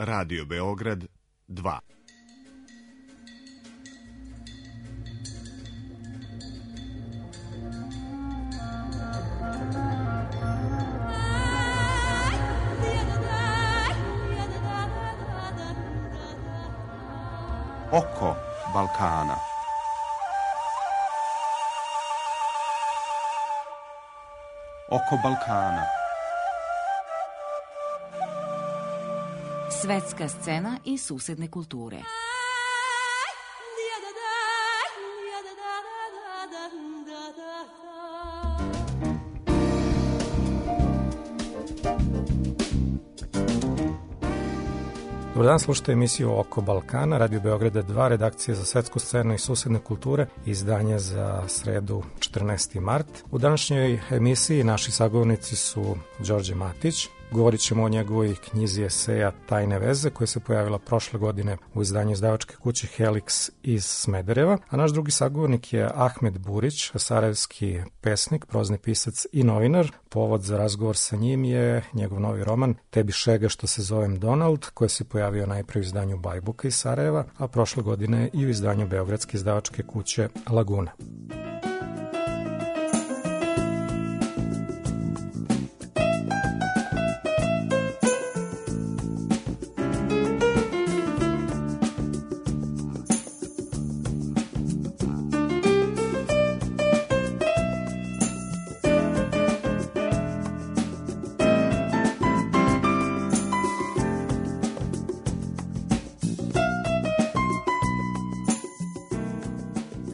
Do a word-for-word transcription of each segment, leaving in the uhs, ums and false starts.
Radio Beograd dva. Oko Balkana. Oko Balkana. Svetska scena i susedne kulture. Dobar dan, slušajte emisiju Oko Balkana, Radio Beograda dva, redakcija za svetsku scenu i susedne kulture, izdanje za sredu četrnaesti mart. U današnjoj emisiji naši sagovornici su Đorđe Matić. Govorit ćemo o njegovoj knjizi eseja Tajne veze, koja se pojavila prošle godine u izdanju izdavačke kuće Helix iz Smedereva. A naš drugi sagovornik je Ahmed Burić, sarajevski pesnik, prozni pisac i novinar. Povod za razgovor sa njim je njegov novi roman Tebi šega što se zovem Donald, koji se pojavio najpre u izdanju Bajbuka iz Sarajeva, a prošle godine i u izdanju beogradske izdavačke kuće Laguna.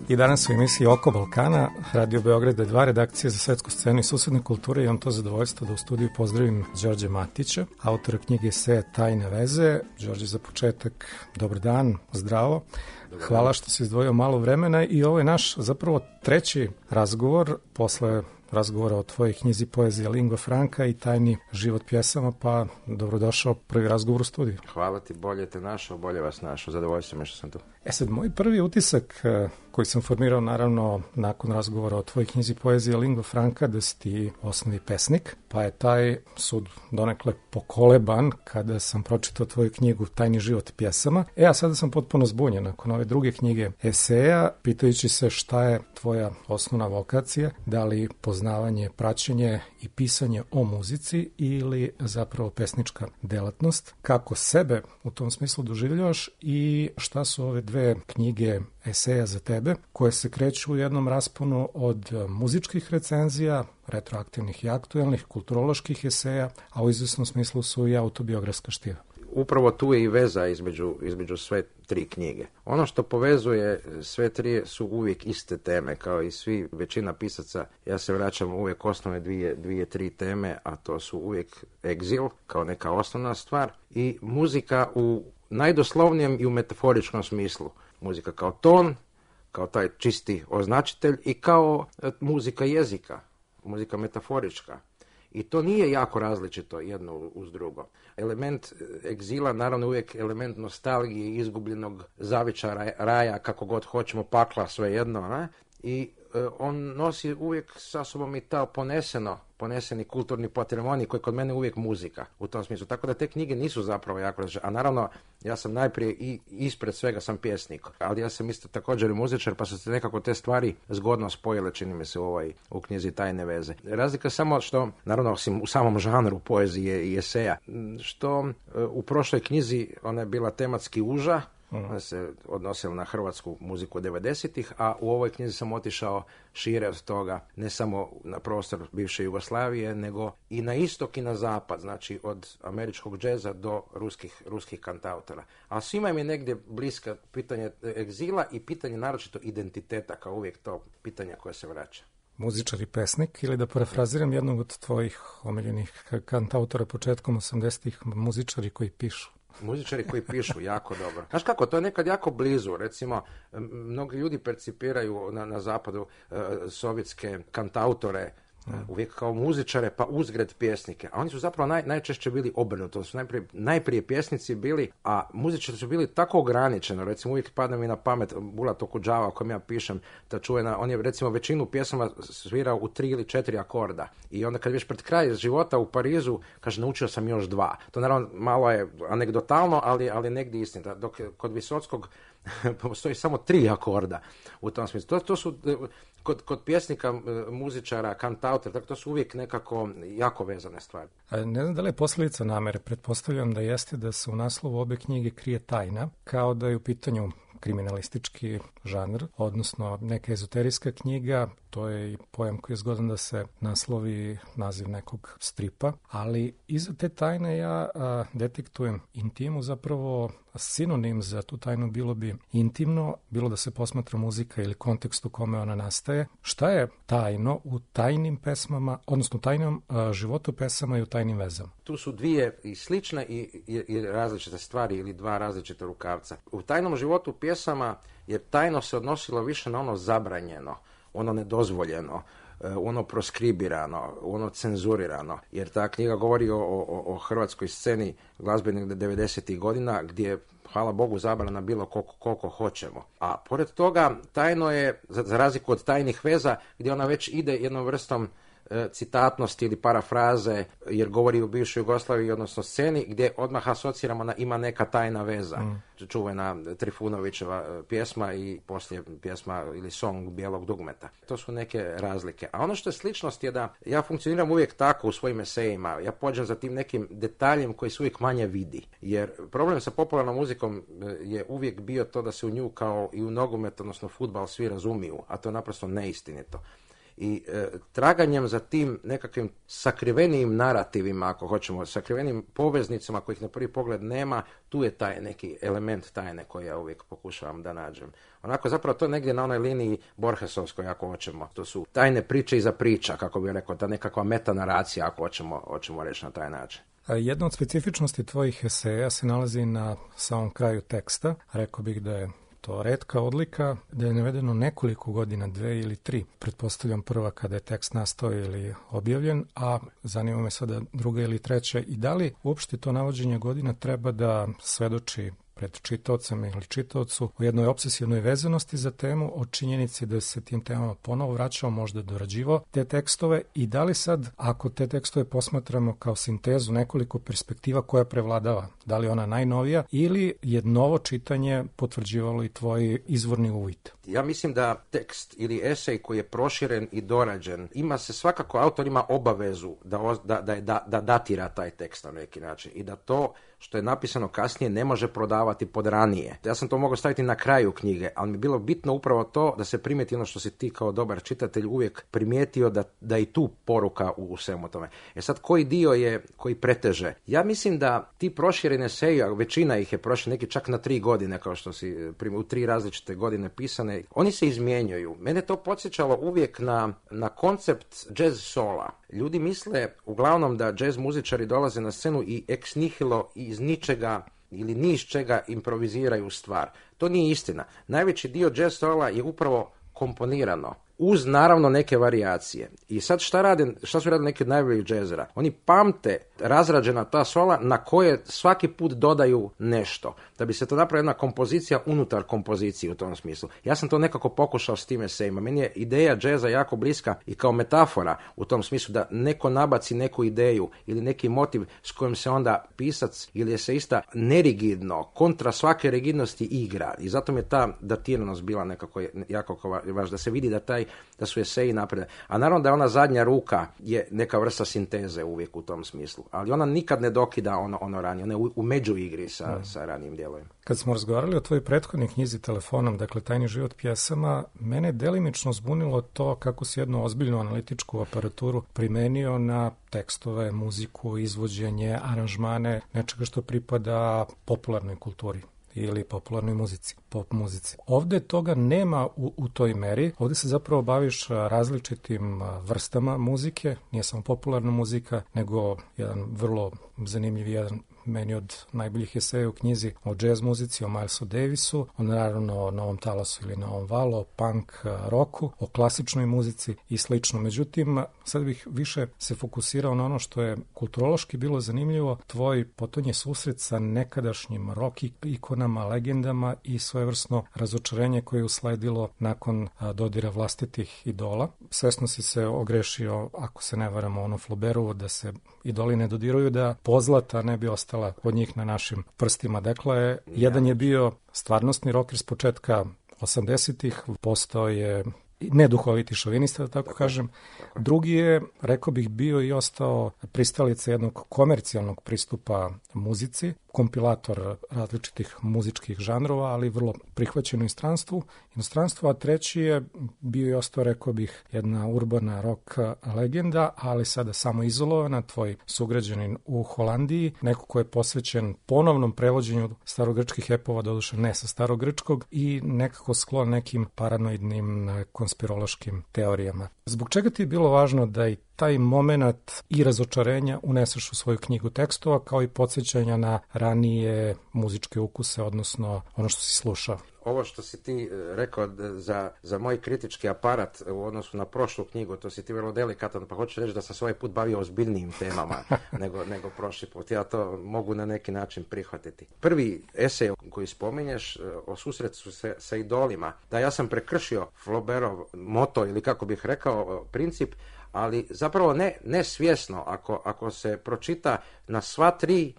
I danas u emisiji Oko Balkana, Radio Beograda dva, redakcija za svetsku scenu i susedne kulture. Imam to zadovoljstvo da u studiju pozdravim Đorđe Matića, autora knjige eseja Tajne veze. Đorđe, za početak, dobar dan, zdravo. Hvala što si izdvojio malo vremena i ovo je naš zapravo treći razgovor posle razgovora o tvojoj knjizi Poezija lingua franca i Tajni život pjesama, pa dobrodošao prvi razgovor u studiju. Hvala ti, bolje te našao, bolje vas našao, zadovoljstvo me što sam tu. E sad, moj prvi utisak koji sam formirao naravno nakon razgovora o tvojoj knjizi Poezija lingua franca, da si ti osnovni pesnik, pa je taj sud donekle pokoleban kada sam pročitao tvoju knjigu Tajni život pjesama. E, a sada sam potpuno zbunjen nakon ove druge knjige eseja, pitajući se šta je tvoja osnovna vokacija, da li poznavanje, praćenje i pisanje o muzici ili zapravo pesnička delatnost, kako sebe u tom smislu doživljavaš i šta su ove dve knjige eseja za tebe, koje se kreću u jednom rasponu od muzičkih recenzija, retroaktivnih i aktuelnih, kulturoloških eseja, a u izvesnom smislu su i autobiografska štiva. Upravo tu je i veza između, između sve tri knjige. Ono što povezuje sve tri su uvijek iste teme, kao i svi, većina pisaca. Ja se vraćam uvijek osnovne dvije, dvije, tri teme, a to su uvijek egzil, kao neka osnovna stvar, i muzika u najdoslovnijem i u metaforičkom smislu. Muzika kao ton, kao taj čisti označitelj i kao muzika jezika, muzika metaforička. I to nije jako različito jedno uz drugo. Element egzila, naravno uvijek element nostalgije, izgubljenog zavičara, raja, kako god hoćemo, pakla, svejedno, ne? I e, on nosi uvijek sa sobom i ta poneseno, poneseni kulturni patrimoni koji kod mene uvijek muzika u tom smislu. Tako da te knjige nisu zapravo jako različite. A naravno, ja sam najprije i ispred svega sam pjesnik, ali ja sam isto također i muzičar, pa su se nekako te stvari zgodno spojile, čini mi se, u, ovaj, u knjizi Tajne veze. Razlika samo što, naravno, osim u samom žanru poezije i eseja, što u prošloj knjizi ona je bila tematski uža, ona se odnosila na hrvatsku muziku devedesetih, a u ovoj knjizi sam otišao šire od toga, ne samo na prostor bivše Jugoslavije, nego i na istok i na zapad, znači od američkog džeza do ruskih, ruskih kantautora. A svima im je negdje bliska pitanje egzila i pitanje naročito identiteta, kao uvijek to pitanje koje se vraća. Muzičar i pesnik, ili da parafraziram jednog od tvojih omiljenih kantautora početkom osamdesetih, muzičari koji pišu. Muzičari koji pišu, jako dobro. Znaš kako, to je nekad jako blizu. Recimo, mnogi ljudi percipiraju na, na zapadu uh, sovjetske kantautore uvijek kao muzičare pa uzgred pjesnike, a oni su zapravo naj, najčešće bili obrnuto, su najprije, najprije pjesnici bili, a muzičari su bili tako ograničeno, recimo uvijek padne mi na pamet Bulat Okudžava o kojem ja pišem, ta čuvena, on je recimo većinu pjesama svirao u tri ili četiri akorda i onda kad viš pred kraj života u Parizu, kaže naučio sam još dva, to naravno malo je anegdotalno, ali, ali negdje istina, dok kod Visockog postoji samo tri akorda u tom smislu. To, to su kod, kod pjesnika, muzičara, kantautora, tako to su uvijek nekako jako vezane stvari. A ne znam da li je posljedica namere, pretpostavljam da jeste da se u naslovu obe knjige krije tajna, kao da je u pitanju kriminalistički žanr, odnosno neka ezoterijska knjiga, to je i pojam koji je zgodan da se naslovi naziv nekog stripa, ali iza te tajne ja a, detektujem intimu, zapravo sinonim za tu tajnu bilo bi intimno, bilo da se posmatra muzika ili kontekst u kome ona nastaje. Šta je tajno u tajnim pesmama, odnosno tajnom a, životu pesama i u tajnim vezama? Tu su dvije i slične i, i, i različite stvari ili dva različita rukavca. U tajnom životu pjesama je tajno se odnosilo više na ono zabranjeno, ono nedozvoljeno, ono proskribirano, ono cenzurirano, jer ta knjiga govori o, o, o hrvatskoj sceni glazbenih devedesetih godina gdje, hvala Bogu, zabrana bilo koliko, koliko hoćemo. A pored toga, tajno je, za, za razliku od tajnih veza, gdje ona već ide jednom vrstom citatnosti ili parafraze, jer govori o bivšoj Jugoslaviji, odnosno sceni, gdje odmah asociramo na ima neka tajna veza. Mm. Čuvena Trifunovićeva pjesma i poslije pjesma ili song Bijelog dugmeta. To su neke razlike. A ono što je sličnost je da ja funkcioniram uvijek tako u svojim esejima. Ja pođem za tim nekim detaljem koji se uvijek manje vidi. Jer problem sa popularnom muzikom je uvijek bio to da se u nju kao i u nogomet, odnosno fudbal, svi razumiju, a to je naprosto neistinito. I e, traganjem za tim nekakvim sakrivenijim narativima, ako hoćemo, sakrivenim poveznicama kojih na prvi pogled nema, tu je taj neki element tajne koji ja uvijek pokušavam da nađem. Onako, zapravo to je negdje na onoj liniji Borgesovskoj, ako hoćemo. To su tajne priče iza priča, kako bih rekao, ta nekakva metanaracija, ako hoćemo, hoćemo reći na taj način. Jedna od specifičnosti tvojih eseja se nalazi na samom kraju teksta. Rekao bih da je to retka odlika, da je navedeno nekoliko godina, dve ili tri. Pretpostavljam prva kada je tekst nastao ili objavljen, a zanima me sada druga ili treća. I da li uopšte to navođenje godina treba da svedoči pred čitaocem ili čitaocu o jednoj obsesivnoj vezanosti za temu, o činjenici da se tim temama ponovo vraćao, možda dorađivao te tekstove i da li sad, ako te tekstove posmatramo kao sintezu nekoliko perspektiva koja prevladava, da li ona najnovija ili je novo čitanje potvrđivalo i tvoj izvorni uvid? Ja mislim da tekst ili esej koji je proširen i dorađen, ima se svakako, autor ima obavezu da, da, da, da, da datira taj tekst na neki način i da to što je napisano kasnije ne može prodavati pod ranije. Ja sam to mogao staviti na kraju knjige, ali mi je bilo bitno upravo to da se primijeti ono što si ti kao dobar čitatelj uvijek primijetio, da, da i tu poruka u, u svemu tome. E sad, koji dio je koji preteže? Ja mislim da ti prošireni eseji, a većina ih je prošli, neki čak na tri godine, kao što si u tri različite godine pisane, oni se izmjenjuju. Mene to podsjećalo uvijek na, na koncept jazz sola. Ljudi misle uglavnom da jazz muzičari dolaze na scenu i ex nihilo iz ničega ili ni iz čega improviziraju stvar. To nije istina. Najveći dio jazz sola je upravo komponirano, uz naravno neke varijacije. I sad šta rade, šta su radili neki od najboljih džezera? Oni pamte razrađena ta sola na koje svaki put dodaju nešto. Da bi se to napravila jedna kompozicija unutar kompozicije u tom smislu. Ja sam to nekako pokušao s tim esejima. Meni je ideja džeza jako bliska i kao metafora u tom smislu da neko nabaci neku ideju ili neki motiv s kojim se onda pisac ili eseista nerigidno, kontra svake rigidnosti igra. I zato mi je ta datiranost bila nekako jako važna, da se vidi da taj da su eseji napred. A naravno da je ona zadnja ruka je neka vrsta sinteze uvijek u tom smislu. Ali ona nikad ne dokida ono, ono ranije. Ona je u, u međuigri sa, mm. sa ranijim dijelovima. Kad smo razgovarali o tvojoj prethodnoj knjizi Telefonom, dakle Tajni život pjesama, mene je delimično zbunilo to kako si jednu ozbiljnu analitičku aparaturu primenio na tekstove, muziku, izvođenje, aranžmane, nečega što pripada popularnoj kulturi ili popularnoj muzici, pop muzici. Ovde toga nema u, u toj meri. Ovde se zapravo baviš različitim vrstama muzike, nije samo popularna muzika, nego jedan vrlo zanimljiv, jedan meni od najboljih eseja u knjizi o jazz muzici, o Milesu Davisu, o naravno o Novom talasu ili Novom valu, o punk roku, o klasičnoj muzici i slično. Međutim, sad bih više se fokusirao na ono što je kulturološki bilo zanimljivo, tvoj potonji susret sa nekadašnjim rock ikonama, legendama i svojevrsno razočarenje koje je usledilo nakon dodira vlastitih idola. Svesno si se ogrešio, ako se ne varamo, ono Flaubertovo, da se idoli ne dodiruju, da pozlata ne bi ostala od njih na našim prstima. Dakle, jedan je bio stvarnostni rocker s početka osamdesetih, postao je neduhoviti šovinista, da tako kažem. Drugi je, rekao bih, bio i ostao pristalica jednog komercijalnog pristupa muzici, kompilator različitih muzičkih žanrova, ali vrlo prihvaćen u inostranstvu. Inostranstvo, a treći je bio i ostao, rekao bih, jedna urbana rock legenda, ali sada samo izolovana, tvoj sugrađanin u Holandiji, neko ko je posvećen ponovnom prevođenju starogrčkih epova, doduše ne sa starogrčkog, i nekako sklon nekim paranoidnim konspirološkim teorijama. Zbog čega ti je bilo važno da i taj moment i razočarenja uneseš u svoju knjigu tekstova, kao i podsjećanja na ranije muzičke ukuse, odnosno ono što si slušao? Ovo što si ti rekao za, za moj kritički aparat u odnosu na prošlu knjigu, to si ti vrlo delikatan, pa hoću reći da sam se ovaj put bavio ozbiljnijim temama nego, nego prošli put. Ja to mogu na neki način prihvatiti. Prvi esej koji spominješ o susretu sa, sa idolima, da ja sam prekršio Flaubertov moto, ili kako bih rekao, princip, ali zapravo ne, ne svjesno. Ako, ako se pročita na sva tri,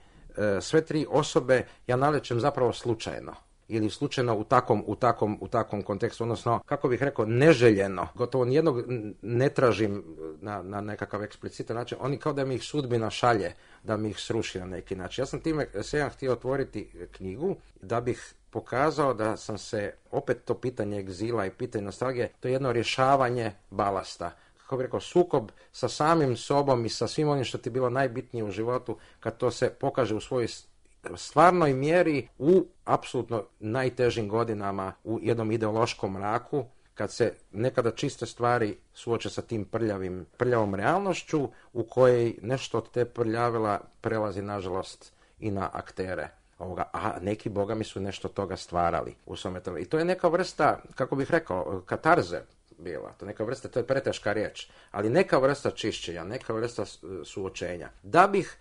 sve tri osobe, ja nalećem zapravo slučajno. Ili slučajno u takvom, u takvom, u takvom kontekstu, odnosno, kako bih rekao, neželjeno. Gotovo nijednog ne tražim na, na nekakav eksplicitan način. Oni kao da mi ih sudbina šalje, da mi ih sruši na neki način. Ja sam time se htio otvoriti knjigu da bih pokazao da sam se, opet to pitanje egzila i pitanje nostalgije, to je jedno rješavanje balasta. Kako bih rekao, sukob sa samim sobom i sa svim onim što ti je bilo najbitnije u životu, kad to se pokaže u svojoj stvarnoj mjeri u apsolutno najtežim godinama, u jednom ideološkom mraku, kad se nekada čiste stvari suoče sa tim prljavim, prljavom realnošću u kojoj nešto od te prljavila prelazi, nažalost, i na aktere ovoga, a neki bogami su nešto toga stvarali u svome tome. I to je neka vrsta, kako bih rekao, katarze bila, to neka vrsta, to je preteška riječ, ali neka vrsta čišćenja, neka vrsta suočenja. Da bih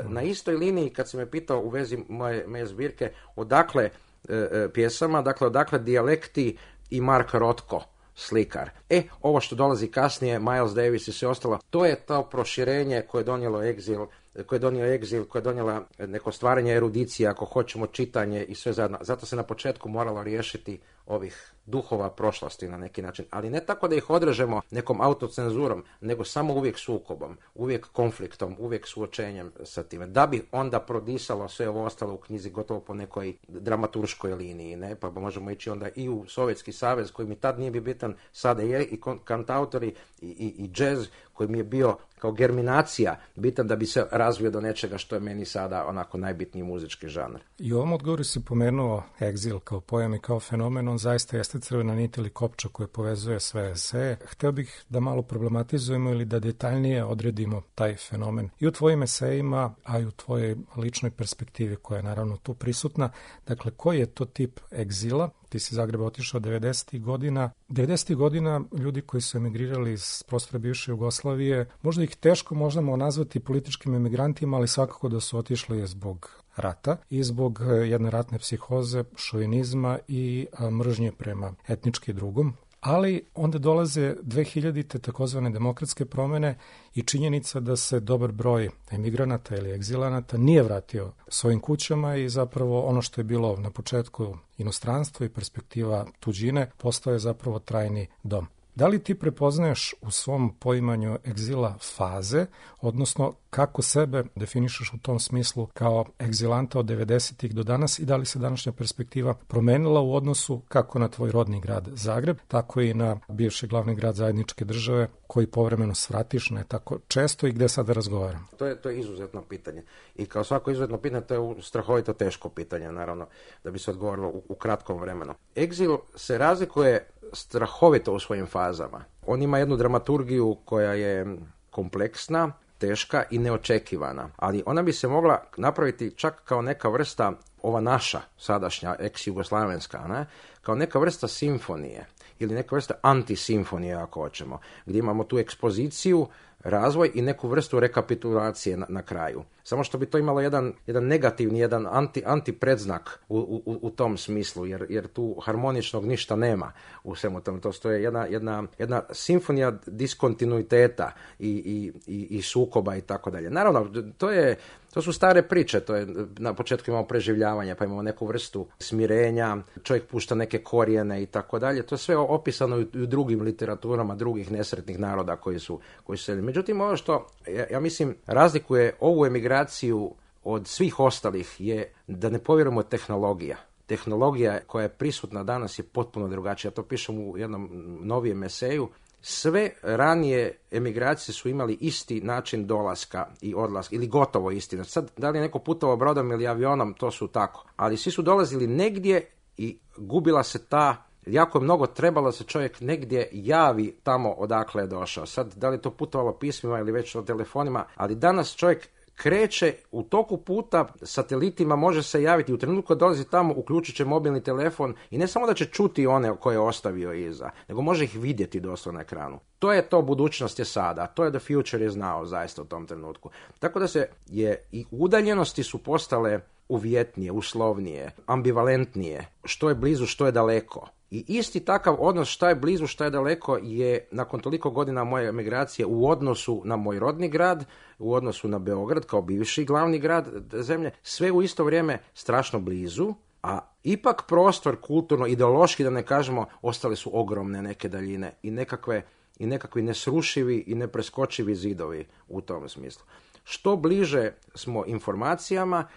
na istoj liniji, kad si me pitao u vezi moje, moje zbirke, odakle e, pjesama, dakle odakle dijalekti i Mark Rothko, slikar. E, ovo što dolazi kasnije, Miles Davis i sve ostalo, to je to proširenje koje je donijelo egzil, koje je donio egzil, koje je donijela neko stvaranje erudicije, ako hoćemo, čitanje i sve zajedno. Zato se na početku moralo riješiti ovih duhova prošlosti na neki način, ali ne tako da ih odrežemo nekom autocenzurom, nego samo uvijek sukobom, uvijek konfliktom, uvijek suočenjem sa time, da bi onda prodisalo sve ovo ostalo u knjizi gotovo po nekoj dramaturškoj liniji, ne? Pa možemo ići onda i u Sovjetski savez, koji mi tad nije bio bitan, sada je, i kantautori i, i, i džez, koji mi je bio kao germinacija bitan da bi se razvio do nečega što je meni sada onako najbitniji muzički žanr. I u ovom odgovoru si pomenuo egzil kao pojam i kao fenomen, on zaista jeste crvena nit ili kopča koje povezuje sve eseje. Hteo bih da malo problematizujemo ili da detaljnije odredimo taj fenomen i u tvojim esejima, a i u tvojoj ličnoj perspektivi koja je naravno tu prisutna. Dakle, koji je to tip egzila? Ti si iz Zagreba otišao devedesetih godina. devedesetih godina ljudi koji su emigrirali iz prostora bivše Jugoslavije, možda ih teško možemo nazvati političkim emigrantima, ali svakako da su otišli zbog rata i zbog jedne ratne psihoze, šovinizma i mržnje prema etnički drugom. Ali onda dolaze dvehiljadite takozvane demokratske promene i činjenica da se dobar broj emigranata ili egzilanata nije vratio svojim kućama i zapravo ono što je bilo na početku inostranstvo i perspektiva tuđine postao je zapravo trajni dom. Da li ti prepoznaješ u svom poimanju egzila faze, odnosno kako sebe definišeš u tom smislu kao egzilanta od devedesetih do danas i da li se današnja perspektiva promenila u odnosu kako na tvoj rodni grad Zagreb, tako i na bivši glavni grad zajedničke države koji povremeno svratiš ne tako često i gde sada razgovaram? To je, to je izuzetno pitanje. I kao svako izuzetno pitanje, to je strahovito teško pitanje, naravno, da bi se odgovorilo u, u kratkom vremenu. Egzil se razlikuje strahovito u svojim fazama. On ima jednu dramaturgiju koja je kompleksna, teška i neočekivana, ali ona bi se mogla napraviti čak kao neka vrsta, ova naša sadašnja ex-jugoslavenska, ne? Kao neka vrsta simfonije ili neka vrsta antisimfonije ako hoćemo, gdje imamo tu ekspoziciju, razvoj i neku vrstu rekapitulacije na, na kraju. Samo što bi to imalo jedan, jedan negativni, jedan anti, antipredзnak u, u, u tom smislu, jer, jer tu harmoničnog ništa nema u svemu tom. To je jedna, jedna, jedna simfonija diskontinuiteta i, i, i, i sukoba i tako dalje. Naravno, to je To su stare priče, to je na početku imamo preživljavanje, pa imamo neku vrstu smirenja, čovjek pušta neke korijene i tako dalje. To je sve opisano i u drugim literaturama drugih nesretnih naroda koji su koji su. Međutim, ono što ja, ja mislim razlikuje ovu emigraciju od svih ostalih je da ne povjerujemo tehnologija. Tehnologija koja je prisutna danas je potpuno drugačija. Ja to pišem u jednom novijem eseju. Sve ranije emigracije su imali isti način dolaska i odlaska, ili gotovo isti. Sad, da li je neko putovao brodom ili avionom, to su tako. Ali svi su dolazili negdje i gubila se ta, jako je mnogo trebalo se čovjek negdje javi tamo odakle je došao. Sad, da li je to putovalo pismima ili već o telefonima, ali danas čovjek kreće u toku puta satelitima, može se javiti u trenutku kad dolazi tamo, uključit će mobilni telefon i ne samo da će čuti one koje je ostavio iza, nego može ih vidjeti doslovno na ekranu. To je to, budućnost je sada, to je the future is now zaista u tom trenutku. Tako da se je i udaljenosti su postale uvjetnije, uslovnije, ambivalentnije, što je blizu, što je daleko. I isti takav odnos šta je blizu, šta je daleko je nakon toliko godina moje emigracije u odnosu na moj rodni grad, u odnosu na Beograd kao bivši glavni grad zemlje, sve u isto vrijeme strašno blizu, a ipak prostor kulturno, ideološki da ne kažemo, ostale su ogromne neke daljine i nekakve i nekakvi nesrušivi i nepreskočivi zidovi u tom smislu. Što bliže smo informacijama,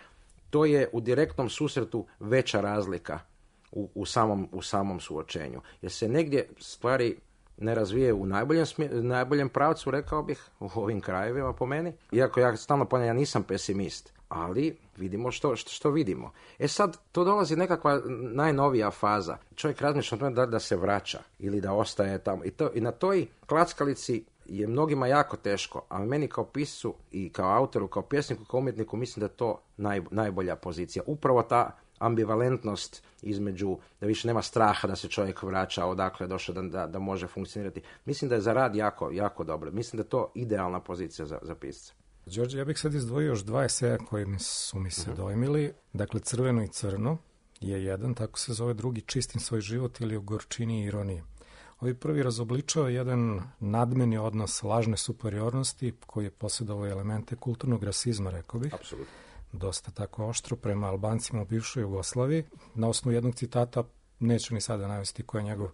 to je u direktnom susretu veća razlika u, u, samom, u samom suočenju. Jer se negdje stvari ne razvije u najboljem, smje, najboljem pravcu, rekao bih, u ovim krajevima po meni. Iako ja stalno ponavljam, ja nisam pesimist, ali vidimo što, što, što vidimo. E sad, to dolazi nekakva najnovija faza. Čovjek razmišlja o tome da, da se vraća ili da ostaje tamo. I, to, i na toj klackalici je mnogima jako teško, a meni kao piscu i kao autoru, kao pjesniku, kao umjetniku, mislim da je to naj, najbolja pozicija. Upravo ta ambivalentnost između, da više nema straha da se čovjek vraća odakle je došao, da, da, da može funkcionirati. Mislim da je za rad jako, jako dobro. Mislim da je to idealna pozicija za, za pisca. Đorđe, ja bih sad izdvojio još dva eseja koji su mi se uh-huh. dojmili. Dakle, Crveno i crno je jedan, tako se zove, drugi Čistim svoj život ili U gorčini i ironije. Ovi prvi razobličava jedan nadmeni odnos lažne superiornosti koji je posjedovao elemente kulturnog rasizma, rekao bih. Apsolutno. Dosta tako oštro prema Albancima u bivšoj Jugoslaviji. Na osnovu jednog citata, neću ni sada navesti ko je njegov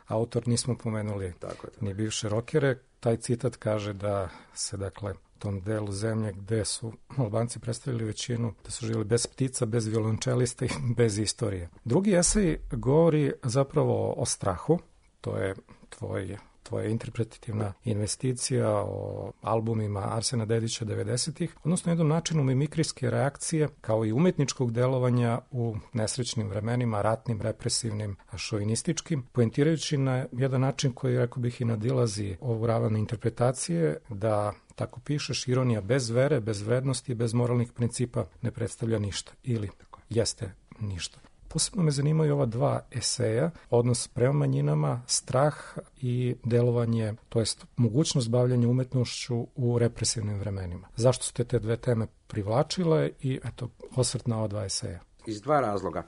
autor, nismo pomenuli tako je, tako. ni bivše rokere. Taj citat kaže da se, dakle, tom delu zemlje gde su Albanci predstavili većinu, da su živjeli bez ptica, bez violončelista i bez istorije. Drugi esej govori zapravo o strahu. To je tvoj, tvoja interpretativna investicija o albumima Arsena Dedića devedesetih, odnosno jednom načinu mimikrijske reakcije kao i umetničkog delovanja u nesrećnim vremenima, ratnim, represivnim, šovinističkim, poentirajući na jedan način koji, rekao bih, i nadilazi ovu ravan interpretacije, da tako pišeš, ironija bez vere, bez vrednosti, bez moralnih principa ne predstavlja ništa ili jeste ništa. Posebno me zanimaju ova dva eseja, odnos prema manjinama, strah i delovanje, to jest mogućnost bavljanja umetnošću u represivnim vremenima. Zašto ste te dve teme privlačile i eto, osvrt na ova dva eseja? Iz dva razloga.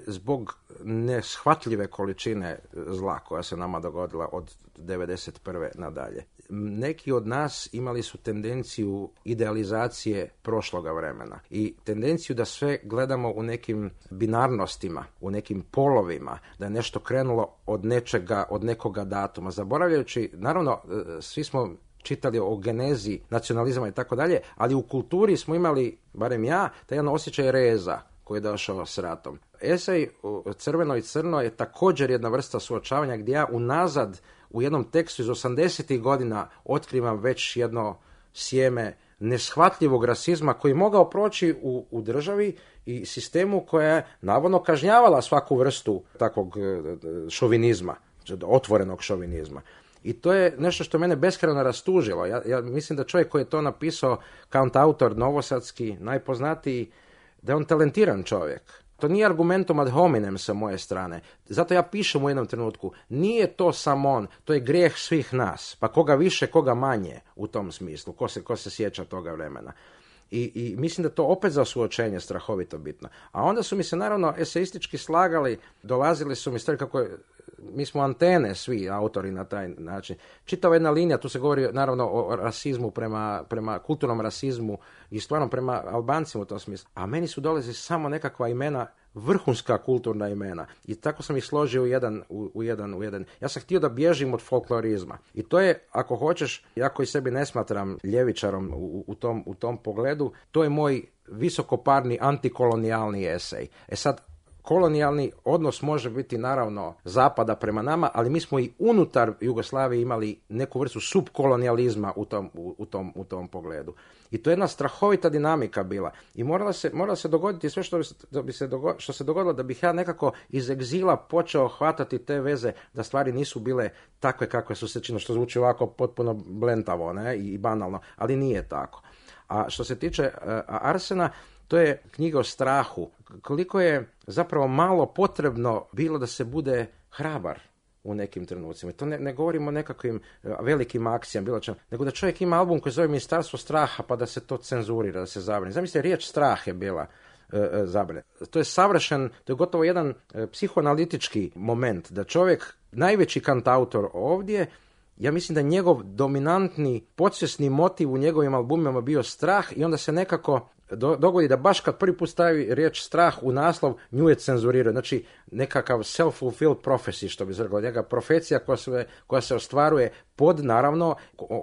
Zbog neshvatljive količine zla koja se nama dogodila od devedeset prve nadalje. Neki od nas imali su tendenciju idealizacije prošloga vremena i tendenciju da sve gledamo u nekim binarnostima, u nekim polovima, da je nešto krenulo od nečega, od nekoga datuma. Zaboravljajući, naravno, svi smo čitali o genezi nacionalizma i tako dalje, ali u kulturi smo imali, barem ja, taj jedan osjećaj reza koji je došao s ratom. Esej Crveno i crno je također jedna vrsta suočavanja gdje ja unazad u jednom tekstu iz osamdesetih godina otkrivam već jedno sjeme neshvatljivog rasizma koji je mogao proći u, u državi i sistemu koja je navodno kažnjavala svaku vrstu takvog šovinizma, otvorenog šovinizma. I to je nešto što mene beskrajno rastužilo. Ja, ja mislim da čovjek koji je to napisao, kantautor novosadski, najpoznatiji, da je on talentiran čovjek. To nije argumentum ad hominem sa moje strane. Zato ja pišem u jednom trenutku, nije to samo on, to je grijeh svih nas. Pa koga više, koga manje u tom smislu, ko se, ko se sjeća toga vremena. I, I mislim da to opet za suočenje strahovito bitno. A onda su mi se naravno eseistički slagali, dolazili su mi stvari kako je, mi smo antene svi autori na taj način. Čitava jedna linija, tu se govori naravno o rasizmu prema, prema kulturnom rasizmu i stvarno prema Albancima u tom smislu. A meni su dolazili samo nekakva imena, vrhunska kulturna imena. I tako sam ih složio u jedan, u, u jedan, u jedan. Ja sam htio da bježim od folklorizma. I to je, ako hoćeš, ja koji sebi ne smatram ljevičarom u, u, tom, u tom pogledu, to je moj visokoparni antikolonijalni esej. E sad, kolonijalni odnos može biti naravno zapada prema nama, ali mi smo i unutar Jugoslavije imali neku vrstu subkolonijalizma u tom, u, u tom, u tom pogledu. I to je jedna strahovita dinamika bila. I morala se, morala se dogoditi sve što, bi se, da bi se dogo, što se dogodilo da bih ja nekako iz egzila počeo hvatati te veze da stvari nisu bile takve kakve su se činile, što zvuči ovako potpuno blentavo, ne, i banalno, ali nije tako. A što se tiče uh, Arsena, to je knjiga o strahu. Koliko je zapravo malo potrebno bilo da se bude hrabar u nekim trenucima. To ne, ne govorimo o nekakvim velikim akcijama, bilo čem, nego da čovjek ima album koji zove Ministarstvo straha, pa da se to cenzurira, da se zabrani. Zamislite, riječ strah je bila e, e, zabrane. To je savršen, to je gotovo jedan e, psihoanalitički moment, da čovjek, najveći kantautor ovdje, ja mislim da njegov dominantni podsvjesni motiv u njegovim albumima bio strah i onda se nekako do, dogodi da baš kad prvi put stavi riječ strah u naslov, nju je cenzurirao. Znači nekakav self-fulfilled prophecy, što bi se rekao, njega profecija koja se, koja se ostvaruje pod, naravno,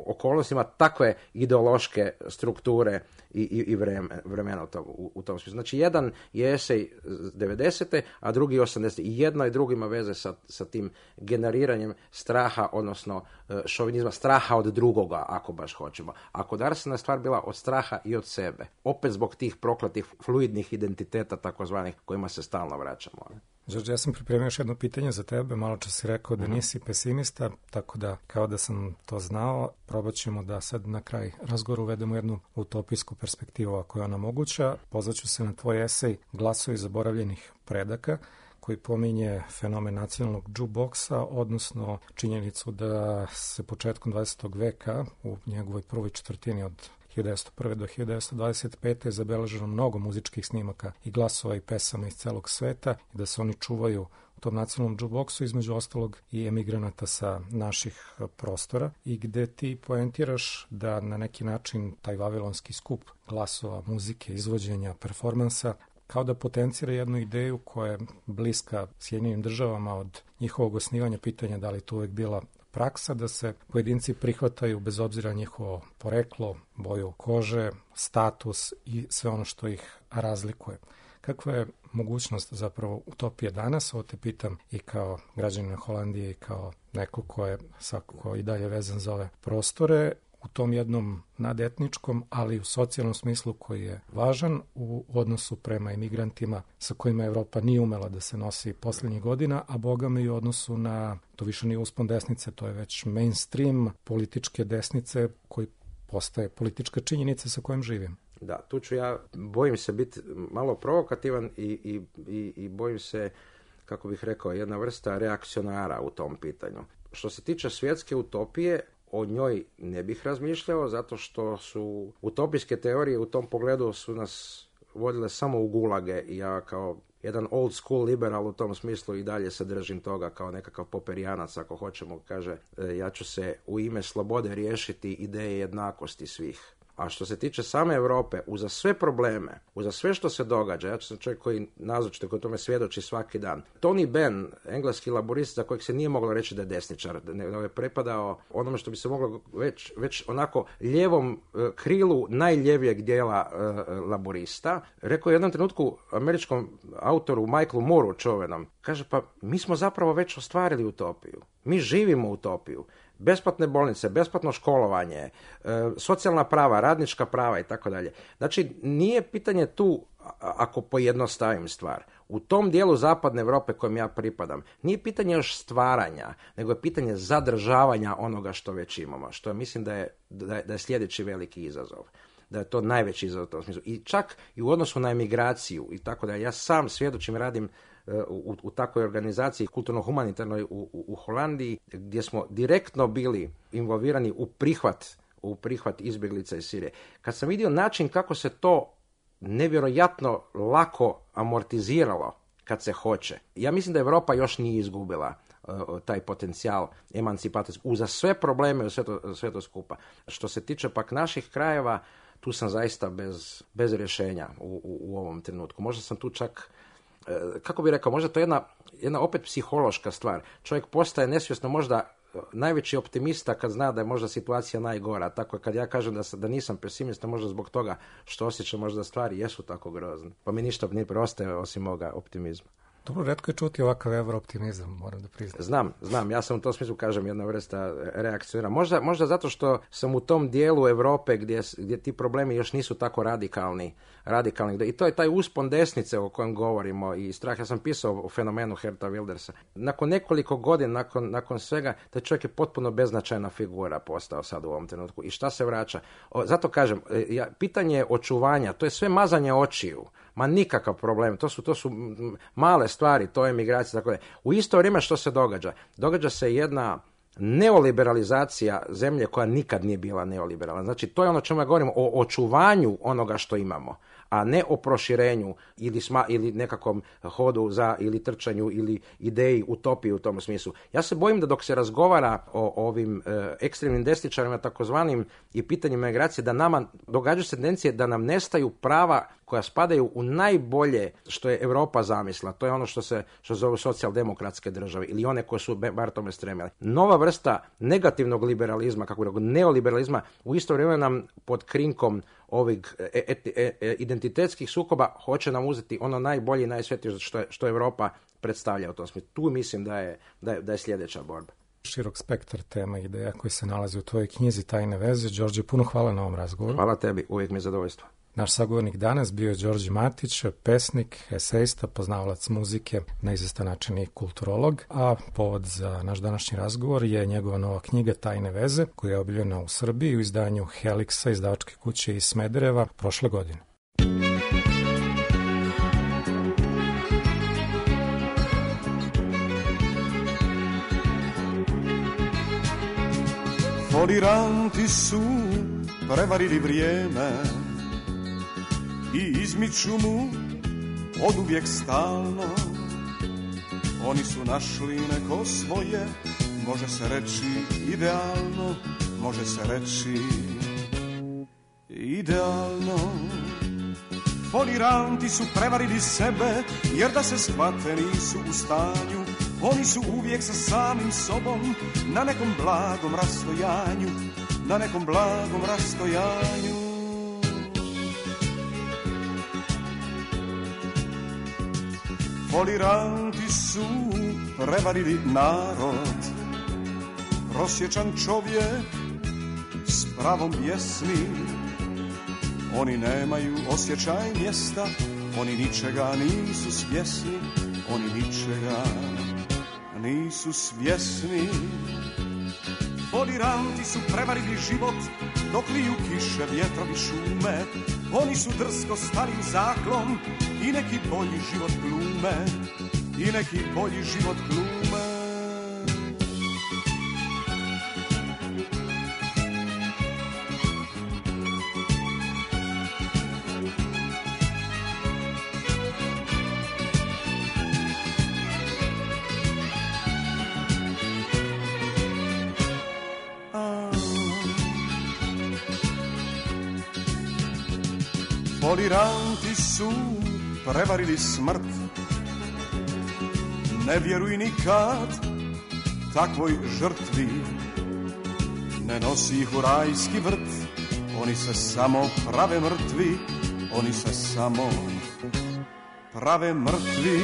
okolnostima takve ideološke strukture i, i, i vremena u tom, u, u tom smislu. Znači jedan je esej devedesete, a drugi osamdesete. I jedno i drugo ima veze sa, sa tim generiranjem straha, odnosno šovinizma, straha od drugoga, ako baš hoćemo. A kod Arsena je stvar bila od straha i od sebe. Opet zbog tih prokletih fluidnih identiteta, takozvanih, kojima se stalno vraćamo. Đorđe, ja sam pripremio još jedno pitanje za tebe. Malo čas si rekao da nisi pesimista, tako da kao da sam to znao, probat ćemo da sad na kraj razgovora uvedemo jednu utopijsku perspektivu ako je ona moguća. Pozvaću se na tvoj esej Glasovi zaboravljenih predaka, koji pominje fenomen nacionalnog jukeboxa, odnosno činjenicu da se početkom dvadesetog veka u njegovoj prvoj četvrtini od hiljadu devetsto prve do hiljadu devetsto dvadeset pete je zabeleženo mnogo muzičkih snimaka i glasova i pesama iz celog sveta i da se oni čuvaju u tom nacionalnom jukeboxu, između ostalog i emigranata sa naših prostora, i gde ti poentiraš da na neki način taj vavilonski skup glasova, muzike, izvođenja, performansa kao da potencira jednu ideju koja je bliska Sjedinjenim državama od njihovog osnivanja, pitanja da li to uvek bila praksa, da se pojedinci prihvataju bez obzira njihovo poreklo, boju kože, status i sve ono što ih razlikuje. Kakva je mogućnost zapravo utopije danas? Ovo te pitam i kao građanina Holandije i kao neko ko je svakako i dalje vezan za ove prostore, u tom jednom nadetničkom, ali u socijalnom smislu koji je važan u odnosu prema imigrantima sa kojima Evropa nije umela da se nosi posljednjih godina, a bogami i u odnosu na, to više nije uspon desnice, to je već mainstream političke desnice koji postaje politička činjenica sa kojom živim. Da, tu ću ja, bojim se biti malo provokativan i, i, i, i bojim se, kako bih rekao, jedna vrsta reakcionara u tom pitanju. Što se tiče svjetske utopije, o njoj ne bih razmišljao, zato što su utopijske teorije u tom pogledu su nas vodile samo u gulage i ja kao jedan old school liberal u tom smislu i dalje se držim toga kao nekakav poperijanac, ako hoćemo, kaže ja ću se u ime slobode riješiti ideje jednakosti svih. A što se tiče same Europe, uza sve probleme, uza sve što se događa, ja sam čovjek koji nazočite, koji tome svjedoči svaki dan. Tony Benn, engleski laborist za kojeg se nije moglo reći da je desničar, nego je prepadao onome što bi se moglo već, već onako lijevom krilu najljevijeg dijela uh, laborista, rekao je u jednom trenutku američkom autoru Michaelu Mooru čovenom, kaže pa mi smo zapravo već ostvarili utopiju. Mi živimo utopiju. besplatne bolnice, besplatno školovanje, e, socijalna prava, radnička prava i tako dalje. Znači, nije pitanje tu, ako pojednostavim stvar, u tom dijelu zapadne Europe kojem ja pripadam, nije pitanje još stvaranja, nego je pitanje zadržavanja onoga što već imamo, što mislim da je, da je, da je sljedeći veliki izazov. Da je to najveći izazov u tom smislu. I čak i u odnosu na emigraciju i tako da ja sam svjedočim, radim u, u takvoj organizaciji kulturno-humanitarnoj u, u, u Holandiji, gdje smo direktno bili involvirani u prihvat, u prihvat izbjeglica iz Sirije. Kad sam vidio način kako se to nevjerojatno lako amortiziralo kad se hoće, ja mislim da Europa još nije izgubila uh, taj potencijal emancipacijski, uza sve probleme, sve to, sve to skupa. Što se tiče pak naših krajeva, tu sam zaista bez, bez rješenja u, u, u ovom trenutku. Možda sam tu čak, kako bih rekao, možda to je jedna, jedna opet psihološka stvar. Čovjek postaje nesvjesno možda najveći optimista kad zna da je možda situacija najgora. Tako kad ja kažem da, da nisam pesimista, možda zbog toga što osjećam možda stvari jesu tako grozne. Pa mi ništa ne preostaje osim moga optimizma. Dobro, retko je čuti ovakav evrooptimizam, moram da priznam. Znam, znam, ja sam u tom smislu, kažem, jedna vrsta reakcionira. Možda, možda zato što sam u tom dijelu Europe gdje, gdje ti problemi još nisu tako radikalni, radikalni. I to je taj uspon desnice o kojem govorimo i strah. Ja sam pisao o fenomenu Geerta Wildersa. Nakon nekoliko godina, nakon, nakon svega, taj čovjek je potpuno beznačajna figura postao sad u ovom trenutku. I šta se vraća? O, zato kažem, ja, pitanje očuvanja, to je sve mazanje očiju. Ma nikakav problem, to su, to su male stvari, to je migracija, tako da. U isto vrijeme što se događa? Događa se jedna neoliberalizacija zemlje koja nikad nije bila neoliberalna. Znači, to je ono čemu ja govorim, o očuvanju onoga što imamo, a ne o proširenju ili, sma, ili nekakvom hodu za, ili trčanju, ili ideji, utopiji u tom smislu. Ja se bojim da dok se razgovara o, o ovim e, ekstremnim desničarima, takozvanim, i pitanjima migracije, da nama događaju se tendencije da nam nestaju prava koja spadaju u najbolje što je Europa zamislila. To je ono što se što zove socijaldemokratske države ili one koje su bar tome stremile. Nova vrsta negativnog liberalizma, kako je neoliberalizma, u isto vrijeme nam pod krinkom ovih et, et, et, identitetskih sukoba hoće nam uzeti ono najbolje i najsvetije što, što Europa predstavlja u tom smislu. Tu mislim da je, da je, da je sljedeća borba. Širok spektar tema i ideja koji se nalazi u tvojoj knjizi Tajne veze. Đorđe, puno hvala na ovom razgovoru. Hvala tebi, uvijek mi je zadovoljstvo. Naš sagovornik danas bio je Đorđe Matić, pesnik, esejista, poznavalac muzike, na izvestan način i kulturolog, a povod za naš današnji razgovor je njegova nova knjiga Tajne veze, koja je objavljena u Srbiji u izdanju Helixa, izdavačke kuće iz Smedereva, prošle godine. Foliranti su prevarili vrijeme i izmiču mu od uvijek stalno. Oni su našli neko svoje, može se reći idealno, može se reći idealno. Foliranti su prevarili sebe, jer da se shvate nisu u stanju. Oni su uvijek sa samim sobom na nekom blagom rastojanju, na nekom blagom rastojanju. Foliranti su prevarili narod, prosječan čovjek s pravom pjesmi. Oni nemaju osjećaj mjesta, oni ničega nisu svjesni, oni ničega nisu svjesni. Foliranti su prevarili život, dok liju kiše, vjetrovi, šume. Oni su drsko starim zaklom i neki bolji život glume, i neki bolji život glume. Foliranti su prevarili smrt, ne vjeruj nikad takvoj žrtvi, ne nosi ih u rajski vrt, oni se samo prave mrtvi, oni se samo prave mrtvi.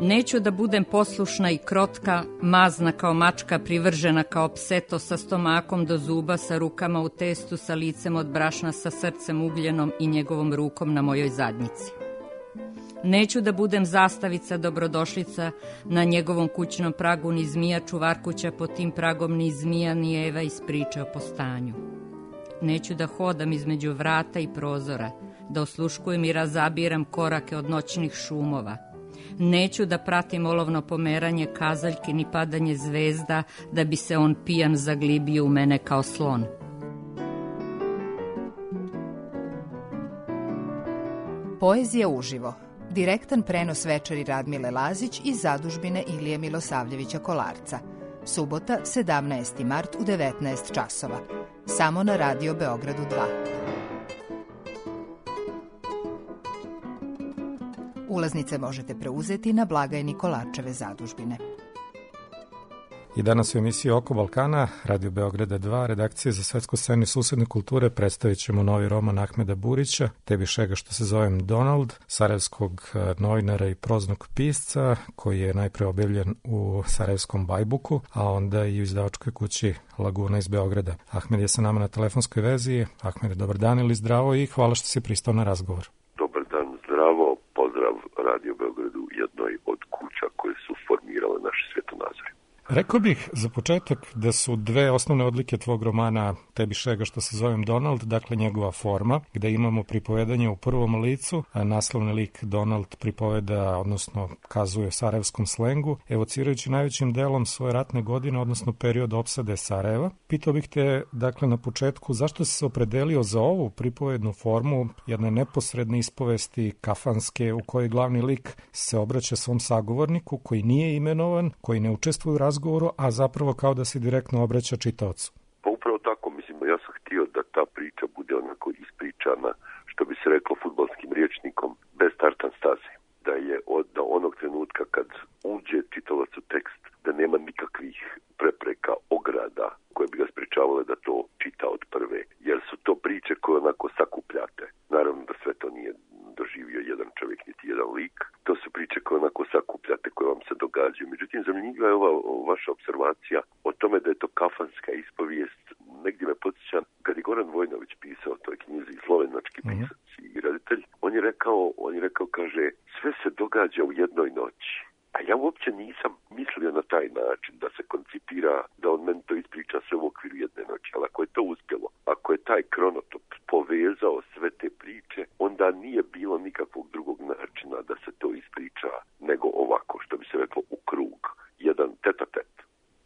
Neću da budem poslušna i krotka, mazna kao mačka, privržena kao pseto, sa stomakom do zuba, sa rukama u testu, sa licem od brašna, sa srcem ugljenom i njegovom rukom na mojoj zadnjici. Neću da budem zastavica, dobrodošlica, na njegovom kućnom pragu, ni zmija čuvarkuća pod tim pragom, ni zmija, ni Eva iz priče o postanju. Neću da hodam između vrata i prozora, da osluškujem i razabiram korake od noćnih šumova. Neću da pratim olovno pomeranje kazaljki ni padanje zvezda, da bi se on pijan zaglibio u mene kao slon. Poezija uživo. Direktan prenos večeri Radmile Lazić iz zadužbine Ilije Milosavljevića Kolarca. Subota, sedamnaesti mart u devetnaest časova. Samo na Radio Beogradu dva. Ulaznice možete preuzeti na blagajni Kolarčeve zadužbine. I danas u emisiji Oko Balkana, Radio Beograda dva, redakcije za svetsku scenu i susedne kulture, predstavit ćemo novi roman Ahmeda Burića, Tebi šega što se zovem Donald, sarajevskog novinara i proznog pisca, koji je najpre objavljen u sarajevskom Bajbuku, a onda i u izdavačkoj kući Laguna iz Beograda. Ahmed je sa nama na telefonskoj vezi. Ahmed, dobar dan ili zdravo i hvala što si pristao na razgovor. Dobar dan, zdravo, pozdrav Radio Beogradu, jednoj od kuća koje su formirale naše svjetonazore. Rekao bih za početak da su dve osnovne odlike tvog romana Tebi šega što se zovem Donald, dakle njegova forma, gde imamo pripovedanje u prvom licu, a naslovni lik Donald pripoveda, odnosno kazuje sarajevskom slengu, evocirajući najvećim delom svoje ratne godine, odnosno period opsade Sarajeva. Pitao bih te, dakle, na početku, zašto si se opredelio za ovu pripovednu formu, jedne neposredne ispovesti kafanske, u kojoj glavni lik se obraća svom sagovorniku, koji nije imenovan, koji ne učestvuje u razgovoru, a zapravo kao da se direktno obraća čitaocu? Pa upravo tako, mislim, ja sam htio da ta priča bude onako ispričana, što bi se reklo fudbalskim rječnikom, bez tartan staze. Da je od da onog trenutka kad uđe čitalac u tekst, da nema nikakvih prepreka, ograda koje bi ga sprečavale da to čita od prve. Jer su to priče koje onako sakupljate. Naravno da sve to nije doživio jedan čovjek, niti jedan lik. To su priče koje onako sakupljate, koje vam se događaju. Međutim, zanimljiva je ova vaša observacija o tome da je to kafanska ispovijest. Negdje me podsjeća, kad je Goran Vojnović pisao o toj knjizi, slovenački pisac i reditelj, on je rekao, on je rekao, kaže, sve se događa u jednoj noći. A ja uopće nisam mislio na taj način da se koncipira, da on meni to ispriča sve u okviru jedne noći. Ali ako je to uspjelo, ako je taj kronotop povezao sve te priče, onda nije bilo nikakvog drugog načina da se to ispriča nego ovako, što bi se reklo, u krug, jedan tet-a-tet.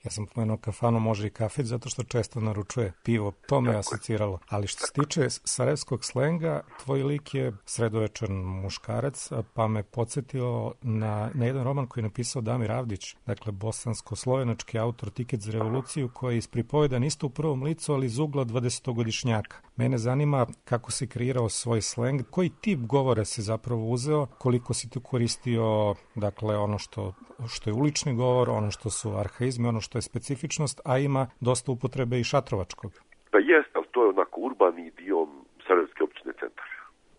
Ja sam pomenuo kafanu, može i kafić, zato što često naručuje pivo. To me asociralo. Ali što se tiče sarajevskog slenga, tvoj lik je sredovečan muškarac, pa me podsjetio na, na jedan roman koji je napisao Damir Avdić, dakle bosansko-slovenački autor Tiket za revoluciju, koji je ispripovedan isto u prvom licu, ali iz ugla dvadesetogodišnjaka. Mene zanima kako si kreirao svoj sleng, koji tip govora si zapravo uzeo, koliko si tu koristio, dakle, ono što, što je ulični govor, ono što su arhaizmi, ono što je specifičnost, a ima dosta upotrebe i šatrovačkog. Pa jest, ali to je onako urbani idiom Sarajevske općine Centar.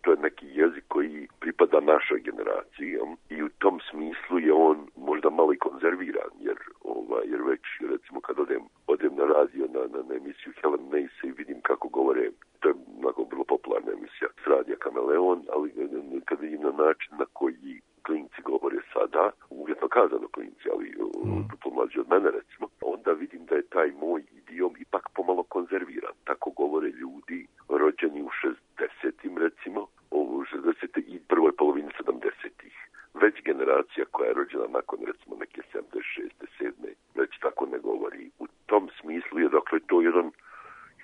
To je neki jezik koji pripada našoj generaciji i u tom smislu je on možda malo i konzerviran, jer, ovaj, jer već recimo kad odem, odem na radio, na, na, na emisiju Helen Mace i vidim kako govore, to je onako vrlo popularna emisija s radija Kameleon, ali kad vidim na način na koji klinci govore sada, uvjetno kazano klinci, ali mm. to mlađi od mene recimo, onda vidim da je taj moj idiom ipak pomalo konzerviran. Tako govore ljudi rođeni u šezdesetim recimo, u šezdesetim i prvoj polovini sedamdesetih. Već generacija koja je rođena nakon recimo neke sedamdeset šeste sedme već tako ne govori. U tom smislu je dakle to jedan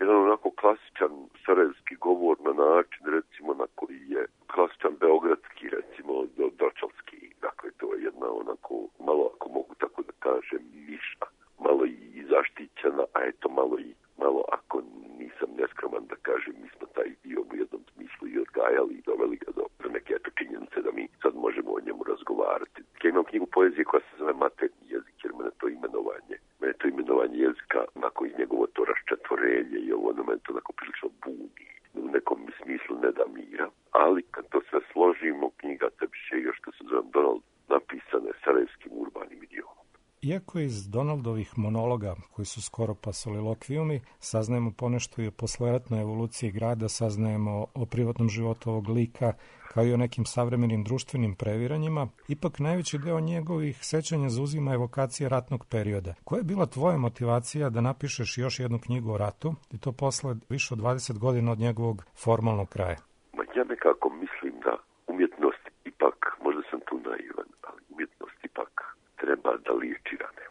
jedan onako klasičan sarajevski govor na način recimo na koji je klasičan beogradski recimo dočalski. Dakle to je jedna onako malo, ako mogu tako da kažem, niša, malo i zaštićena, a eto malo i malo, ako nisam neskroman da kažem, mi smo taj dio u jednom smislu i odgajali i doveli ga do neke eto činjenice da mi sad možemo o njemu razgovarati. Ja imam knjigu poezije koja se zove Materni jezik, jer mene to imenovanje, mene to imenovanje jezika, onako i njegovo to raščetvorenje i ovo ono to onako prilično buni, u nekom smislu ne da mira, ali kad to sve složimo, knjiga Tebi šega što se zove Donald napisane sarajevskim urbanim idijom. Iako iz Donaldovih monologa, koji su skoro pa solilokvijumi, saznajemo ponešto i o posleratnoj evoluciji grada, saznajemo o privatnom životu ovog lika, kao i o nekim savremenim društvenim previranjima, ipak najveći deo njegovih sećanja zauzima evokacije ratnog perioda. Koja je bila tvoja motivacija da napišeš još jednu knjigu o ratu, i to posle više od dvadeset godina od njegovog formalnog kraja? Ma ja nekako mislim da umjetnost ipak, možda sam tu naivan, ali umjetnost ipak treba da liječi rane.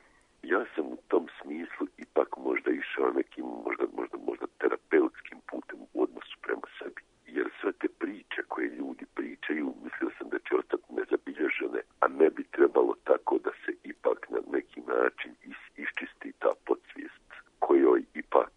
Ja sam u tom smislu ipak možda išao nekim, možda, možda, možda terapeutskim putem u odnosu prema sebi. Jer sve te priče koje ljudi pričaju, mislio sam da će ostati nezabilježene, a ne bi trebalo tako da se ipak na neki način is, iščisti ta podsvijest kojoj ipak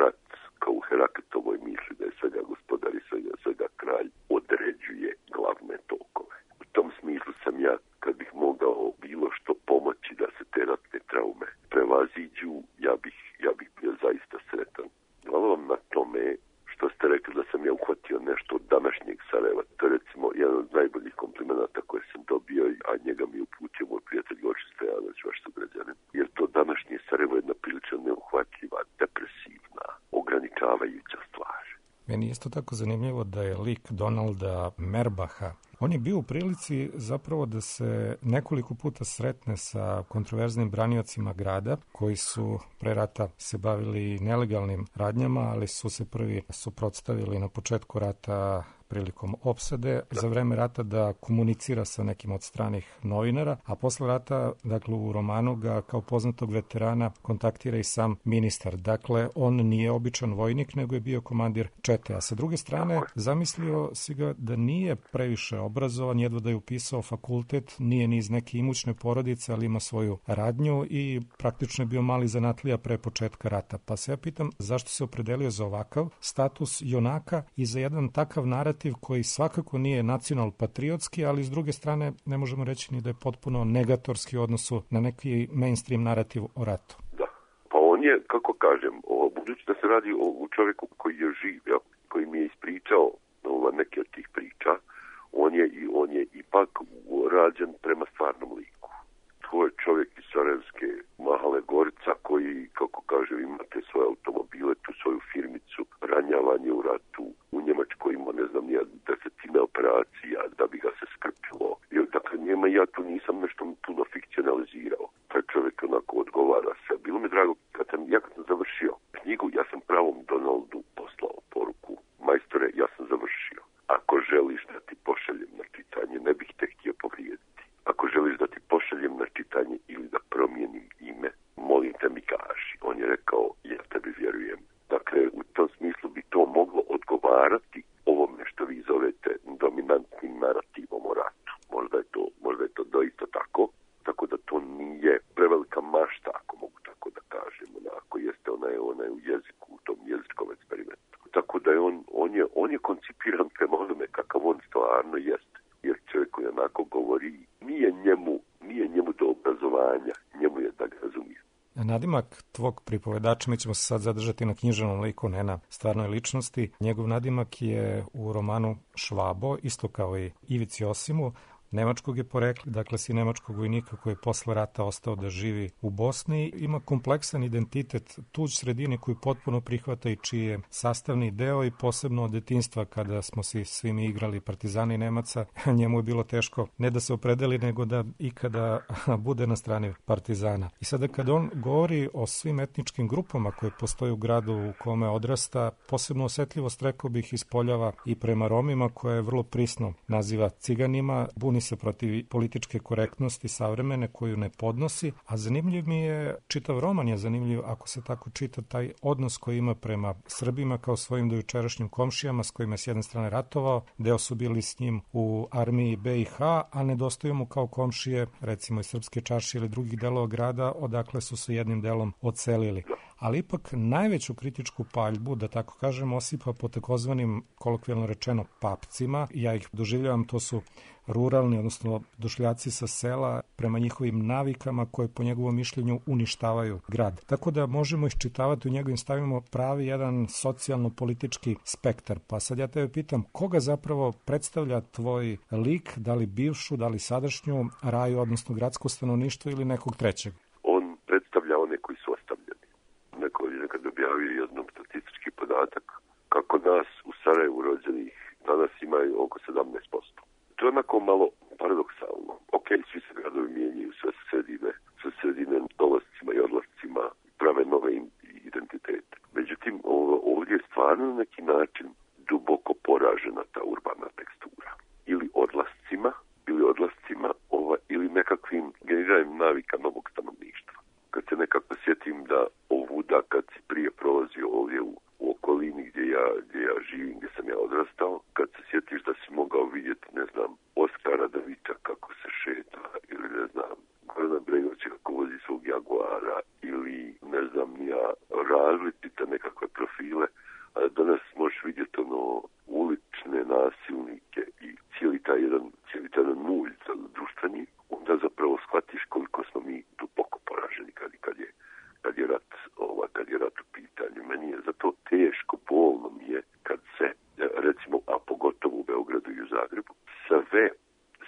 rat, kao u Heraklatovoj misli da je svega gospodar i svega, svega kralj, određuje glavne tokove. U tom smislu sam ja, kad bih mogao bilo što pomoći da se te ratne traume prevaziđu, ja bih, ja bih bio zaista sretan. Hvala vam na tome što ste rekli da sam ja uhvatio nešto od današnjeg Sarajeva. To je recimo jedan od najboljih komplimenata koje sam dobio, a njega mi uputio moj prijatelj Goši Stojanović, vaš sugrađanin. Jer to današnje Sarajevo je jedna prilično neuhvatljiva, depresivna, ograničavajuća stvar. Meni je isto tako zanimljivo da je lik Donalda Merbaha, on je bio u prilici zapravo da se nekoliko puta sretne sa kontroverznim braniocima grada, koji su pre rata se bavili nelegalnim radnjama, ali su se prvi suprotstavili na početku rata prilikom opsade, za vreme rata da komunicira sa nekim od stranih novinara, a posle rata, dakle u romanu ga kao poznatog veterana kontaktira i sam ministar. Dakle, on nije običan vojnik, nego je bio komandir čete. A sa druge strane, zamislio si ga da nije previše obrazovan, jedva da je upisao fakultet, nije ni iz neke imućne porodice, ali ima svoju radnju i praktično je bio mali zanatlija pre početka rata. Pa se ja pitam zašto se opredelio za ovakav status junaka i za jedan takav narativ koji svakako nije nacional-patriotski, ali s druge strane ne možemo reći ni da je potpuno negatorski u odnosu na neki mainstream narativ o ratu. Da, pa on je, kako kažem, o, budući da se radi o, o čovjeku koji je živ, ja, koji mi je ispričao ova, neke od tih priča, on je, i on je ipak rađen prema stvarnom liku. To je čovjek iz Sarajevske Mahale Gorica koji, kako kažem, imate svoje automobile, tu svoju firmicu, ranjavanje u ratu, u Njemačkoj ima, ne znam, nije desetine operacija da bi ga se skrpilo. I, dakle, njema ja tu nisam nešto puno fikcionalizirao. Taj čovjek onako odgovara se. Bilo mi drago, kad sam, ja kad sam završio knjigu, ja sam pravom Donaldu poslao poruku. Majstore, ja sam završio. Ako želiš da ti pošaljem na čitanje, ne bih te htio povrijediti. Ako želiš da ti pošaljem na čitanje ili da promijenim ime, molim te mi kaži. On je rekao, ja tebi vjerujem. Dakle, u tom smislu bi to moglo odgovarati ovome što vi zovete dominantnim narativom o ratu. Možda je to, možda je to doista tako, tako da to nije prevelika mašta, ako mogu tako da kažem, onako jeste ona je, ona je u jeziku, u tom jezičkom eksperimentu. Tako da je on, on je, on je koncipiran prema onome kakav on stvarno jeste. Jer čovjek koji onako govori, nije njemu, nije njemu do obrazovanja, njemu je da ga razumije. Nadimak tvog pripovedača, mi ćemo se sad zadržati na književnom liku, ne na stvarnoj ličnosti. Njegov nadimak je u romanu Švabo, isto kao i Ivici Osimu, nemačkog je porekla, dakle si nemačkog vojnika koji je posle rata ostao da živi u Bosni. Ima kompleksan identitet, tuđ sredine koju potpuno prihvata i čiji je sastavni deo i posebno od detinjstva kada smo si svi mi igrali Partizani Nemaca, njemu je bilo teško ne da se opredeli nego da ikada bude na strani Partizana. I sada kada on govori o svim etničkim grupama koje postoje u gradu u kome odrasta, posebno osetljivost, rekao bih, ispoljava i prema Romima, koja je vrlo prisno naziva ciganima, buni se protiv političke korektnosti savremene koju ne podnosi, a zanimljiv mi je, čitav roman je zanimljiv ako se tako čita, taj odnos koji ima prema Srbima kao svojim dojučerašnjim komšijama s kojima je s jedne strane ratovao, deo su bili s njim u armiji be i ha, a nedostaju mu kao komšije, recimo iz Srpske čaršije ili drugih delova grada, odakle su se jednim delom odselili. ali ipak najveću kritičku paljbu, da tako kažem, osipa po takozvanim, kolokvijalno rečeno, papcima. Ja ih doživljavam, to su ruralni, odnosno došljaci sa sela, prema njihovim navikama koje po njegovom mišljenju uništavaju grad. Tako da možemo iščitavati u njegovim stavima pravi jedan socijalno-politički spektar. Pa sad ja tebe pitam, koga zapravo predstavlja tvoj lik, da li bivšu, da li sadašnju raju, odnosno gradsko stanovništvo ili nekog trećeg? On predstavlja one koji su ostavljeni. Neko je nekad objavio jednom statistički podatak kako nas u Sarajevu rođenih danas imaju oko sedamnaest posto. To je onako malo paradoksalno. Ok, svi se gradovi mijenjaju, sve se sredine, sve sredine dolascima i odlascima prave nove identitete. Međutim, ovdje je stvarno na neki način duboko poražena ta urbana tekstura. Ili odlascima, ili odlascima, ova, ili nekakvim generiranjem navika novog stanovništva. Kad se nekako sjetim da ovuda, kad si prije prolazio ovdje u, u okolini gdje ja, gdje ja živim, gdje sam ja odrastao, kad se sjetiš da si mogao vidjeti, ne znam, Oskara Davića kako se šeta, ili ne znam, Gorana Bregovića kako vozi svog Jaguara, ili ne znam ja, različite nekakve profile, a danas možeš vidjeti ono ulične nasilnike i cijeli taj jedan, cijeli taj jedan mulj društveni, onda zapravo shvatiš koliko smo mi duboko poraženi kad, kad je kad je rat, ova, kad je rat u pitanju. Meni je zato teško, bolno mi je kad se, recimo, a pogotovo u Beogradu i u Zagrebu, sve,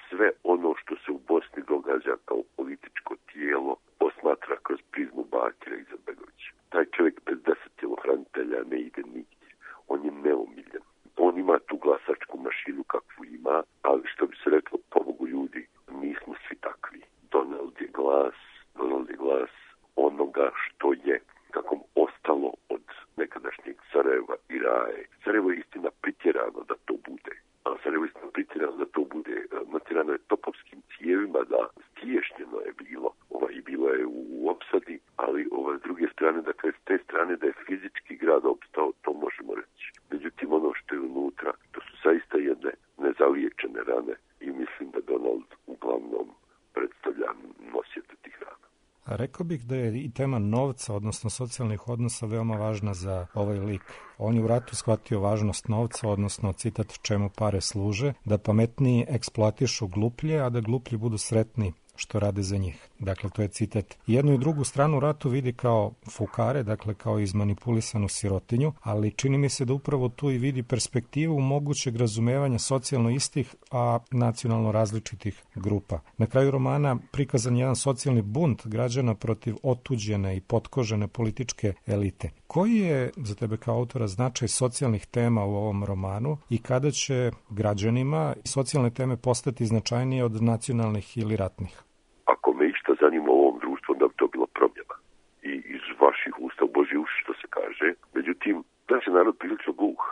sve ono što se u Bosni događa kao političko tijelo posmatra kroz prizmu Bakira Izetbegovića. Taj čovjek bez deset tjelohranitelja ne ide nigdje. On je neomiljen. On ima tu glasačku mašinu kakvu ima, ali što bi se reklo, pobogu ljudi, nismo svi takvi. Donald je glas, Donald je glas onoga što je, kako ostalo od nekadašnjeg Sarajeva i Raje. Sarajevo je istina pritjerano da to bude. A Sarajevo je istina pritjerano da to bude. Natjerano je topovskim cijevima, da stiješnjeno je bilo. Ova, i bilo je u opsadi, ali ova, s druge strane, dakle, s te strane da je fizički grad opstao, to možemo reći. Međutim, ono što je unutra, to su zaista jedne nezaliječene rane i mislim da Donald uglavnom predstavlja nositelj tih rana. A rekao bih da je i tema novca, odnosno socijalnih odnosa, veoma važna za ovaj lik. On je u ratu shvatio važnost novca, odnosno citat čemu pare služe, da pametniji eksploatišu gluplje, a da gluplji budu sretni što rade za njih. Dakle, to je citat. Jednu i drugu stranu ratu vidi kao fukare, dakle kao izmanipulisanu sirotinju, ali čini mi se da upravo tu i vidi perspektivu mogućeg razumevanja socijalno istih, a nacionalno različitih grupa. Na kraju romana prikazan jedan socijalni bunt građana protiv otuđene i potkožene političke elite. Koji je za tebe kao autora značaj socijalnih tema u ovom romanu i kada će građanima socijalne teme postati značajnije od nacionalnih ili ratnih? Ako me išta zanima u ovom društvu, onda bi to bilo promjena. I iz vaših usta u Božji uši, što se kaže. Međutim, naš je narod prilično gluh.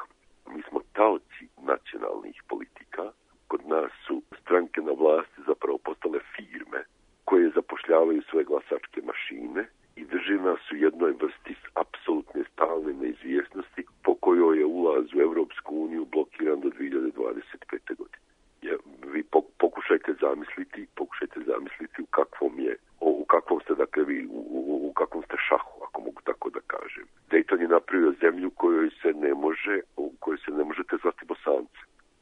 Mi smo taoci nacionalnih politika. Kod nas su stranke na vlasti zapravo postale firme koje zapošljavaju svoje glasačke mašine i drže nas u jednoj vrsti apsolutne stalne neizvjesnosti po kojoj je ulaz u Europsku uniju blokiran do dvije hiljade dvadeset pete. godine. Je, vi pokušajte zamisliti, pokušajte zamisliti u kakvom je, u kakvom ste, dakle, vi, u, u, u kakvom ste šahu, ako mogu tako da kažem. Dayton je napravio zemlju kojoj se ne može, u kojoj se ne možete zvati Bosance.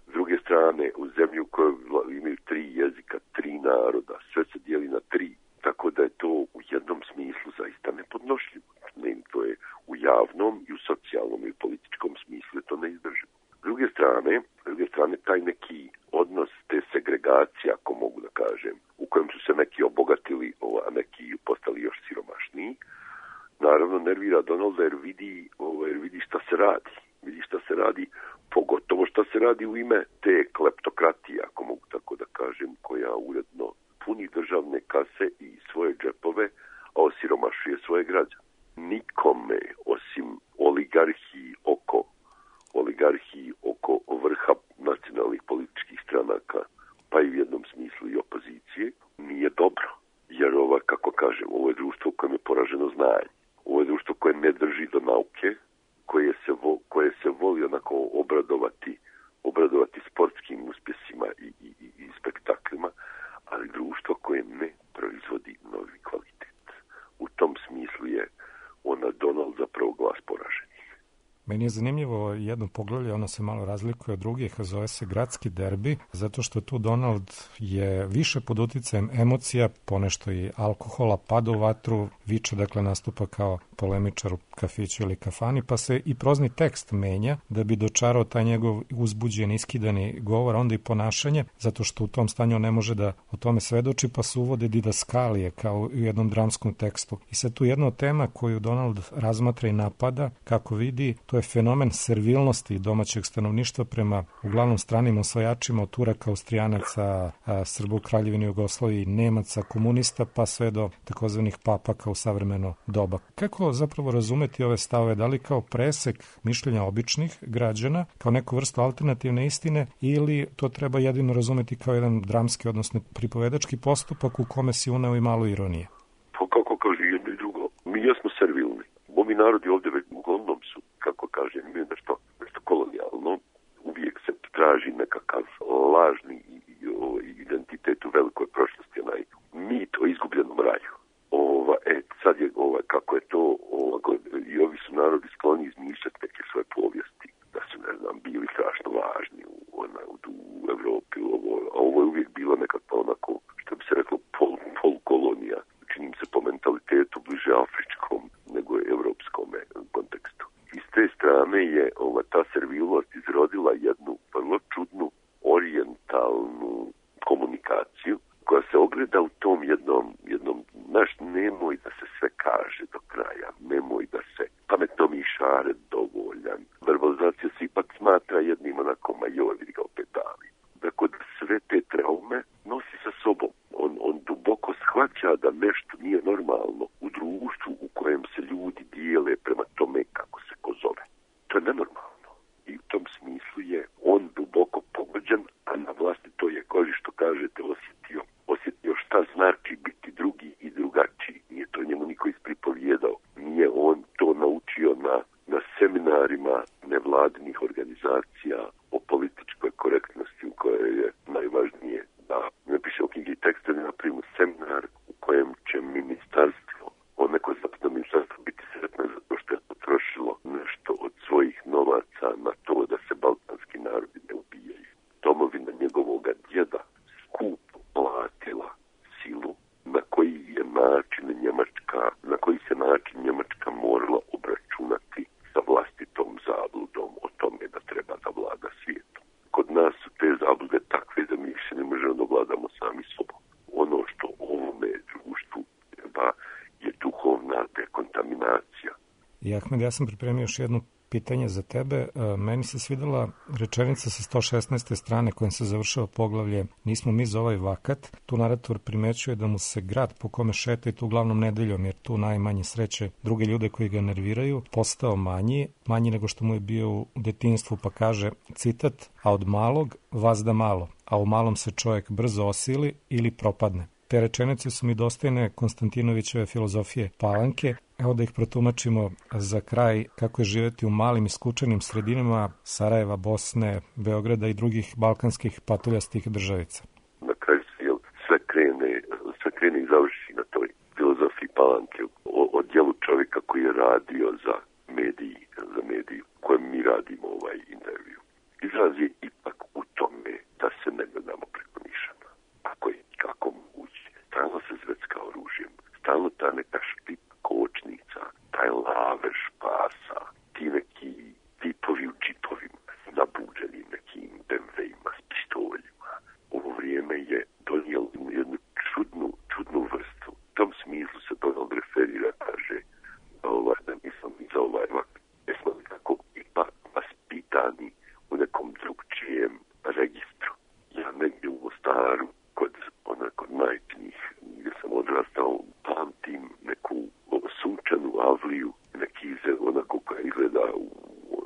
S druge strane, u zemlju u kojoj imaju tri jezika, tri naroda, sve se dijeli na tri, tako da je to u jednom smislu zaista nepodnošljivo. Ne, to je u javnom i u socijalnom i u političkom smislu je to neizdrživo. S druge strane, s druge strane, taj neki odnos te segregacije, ako mogu da kažem, u kojem su se neki obogatili, a neki postali još siromašniji, naravno nervira Donalda jer vidi, jer vidi šta se radi. Vidi šta se radi, pogotovo šta se radi u ime te kleptokratije, ako mogu tako da kažem, koja uredno puni državne kase i svoje džepove, a osiromašuje svoje građane. Nikome, osim oligarhiji oko oligarhiji oko vrha nacionalnih političkih stranaka, pa i u jednom smislu i opozicije, nije dobro. Jer ova, kako kažem, ovo je društvo u kojem je poraženo znanje. Ovo je društvo koje ne drži do nauke, koje se, vo, koje se voli onako obradovati, obradovati sportskim uspjesima i, i, i spektaklima, ali društvo koje ne proizvodi novi kvalitet. U tom smislu je ona Donald Meni je zanimljivo jedno poglavlje, ono se malo razlikuje od drugih, zove se Gradski derbi, zato što tu Donald je više pod uticajem emocija, ponešto i alkohola, pada u vatru, viče, dakle nastupa kao polemičar u kafiću ili kafani, pa se i prozni tekst menja da bi dočarao taj njegov uzbuđen, iskidani govor, onda i ponašanje, zato što u tom stanju ne može da o tome svedoči, pa se uvode didaskalije kao u jednom dramskom tekstu. I sad tu jedna od tema koju Donald razmatra i napada, kako vidi, to je fenomen servilnosti domaćeg stanovništva prema uglavnom stranim osvajačima od Turaka, Austrijanaca, Srba u Kraljevini Jugoslaviji, Nemaca, komunista, pa sve do takozvanih papaka u savremeno doba. Kako zapravo razumeti ove stavove, da li kao presek mišljenja običnih građana, kao neku vrstu alternativne istine, ili to treba jedino razumeti kao jedan dramski, odnosno pripovedački postupak u kome si uneo i malo ironije? Pa kako kaže jedno i drugo, mi jesmo servilni. Ovi narodi ovdje već uglavnom su, kako kaže, imaju nešto, nešto kolonijalno. Uvijek se traži nekakav lažni identitet u velikoj prošlosti, onaj mit o izgubljenom raju. Ova, e, sad je, ova, kako je to, ova, i ovi su narodi skloni izmišljati neke svoje povijesti, da su, ne znam, bili strašno važni u, ona, u, u Evropi, ovo, a ovo je uvijek bilo nekako onako, što bi se reklo, pol, pol kolonija, činim se po mentalitetu bliže afričkom nego evropskom kontekstu. I s te strane je ova, ta servilnost izrodila jednu vrlo čudnu orijentalnu komunikaciju koja se ogleda u tom jednom, jednom, znaš, nemoj da se sve kaže do kraja, nemoj da se pametno mi šaret dovoljan. Verbalizacija se ipak smatra jednim onako, ma joj, vidi ga opet davi. Dakle, da sve te traume nosi sa sobom. On, on duboko shvaća da nešto nije normalno u društvu u kojem se ljudi dijele prema tome kako se ko zove. To je nenormalno. I u tom smislu je on duboko pogođen, a na vlastito je koži, što kažete, osjetio. Osjetio šta znači biti drugi i drugačiji. Nije to njemu niko ispripovijedao. Nije on to naučio na, na seminarima nevladinih organizacija o političkoj korektnosti, u kojoj je najvažnije da napiše u knjigi tekste, da napravimo seminar u kojem će ministarstvo, on neko zapadno ministarstvo biti sretno zato što je potrošilo nešto od svojih novaca na to da se balkanski narodi ne ubijaju. Domovina njegovoga djeda skup platila silu na koji je način Njemačka, na koji se način Njemačka morala obračunati sa vlastitom zabludom o tome da treba da vlada svijetom. Kod nas su te zablude takve da mi više ne možemo da vladamo sami sobom. Ono što ovome društvu treba je duhovna dekontaminacija. I Ahmed, ja sam pripremio još jedno pitanje za tebe. Meni se svidela rečenica sa sto šesnaeste strane kojom se završava poglavlje Nismo mi za ovaj vakat. Tu narator primećuje da mu se grad po kome šeta i tu uglavnom nedeljom, jer tu najmanje sreće druge ljude koji ga nerviraju, postao manji, manji nego što mu je bio u detinjstvu, pa kaže, citat, a od malog vazda malo, a u malom se čovjek brzo osili ili propadne. Te rečenice su mi dostojne Konstantinovićeve filozofije Palanke. Evo da ih protumačimo za kraj, kako je živjeti u malim i skučenim sredinama Sarajeva, Bosne, Beograda i drugih balkanskih patuljastih državica. Na kraju se jel, sve krene, sve krene i završi na toj filozofiji Palanke o, o djelu čovjeka koji je radio za mediji, za mediju kojem mi radimo ovaj intervju. Izraz je ipak u tome da se ne gledamo preko nišana. Ako je kako moguće, stalno se zvecka oružjem, stalno ta neka štip kočnica, taj lavež pasa, ti neki tipovi u čipovima, nabuđeni nekim be em veima s pištoljima. Ovo vrijeme je donijelo jednu čudnu, čudnu vrstu. U tom smislu se Donald referira, kaže, ovaj, da nismo mi za ovaj vak, jesmo li tako ipak vaspitani u nekom drugčijem registru. Ja negdje u Mostaru, kod, ona, kod majčinih, gdje sam odrastao, pamtim neku sunčanu avliju, neki onako koja izgleda u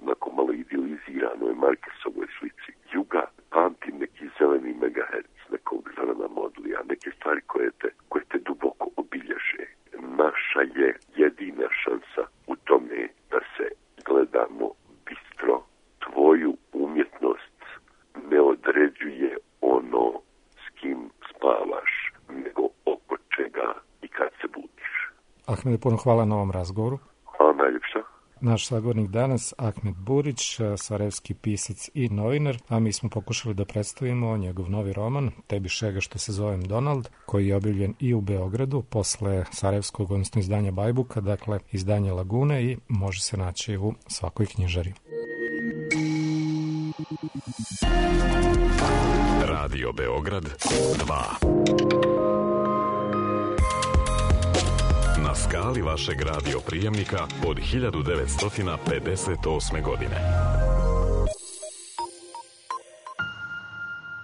onako malo idealiziranoj Markesovoj slici juga, pamtim neki zeleni megahertz, nekog zelena modlija, neke stvari koje te, koje te duboko obilježe. Naša je jedina šansa u tome da se gledamo bistro. Tvoju umjetnost ne određuje ono s kim spavaš, nego oko čega i kad se budiš. Ahmede, puno hvala na ovom razgovoru. Hvala najljepša. naš sagovornik danas, Ahmed Burić, sarajevski pisac i novinar, a mi smo pokušali da predstavimo njegov novi roman Tebi šega što se zovem Donald, koji je objavljen i u Beogradu posle sarajevskog, odnosno izdanja Bajbuka, dakle izdanje Lagune, i može se naći u svakoj knjižari. Radio Beograd dva. Na skali vašeg radio prijemnika od hiljadu devetsto pedeset osme godine.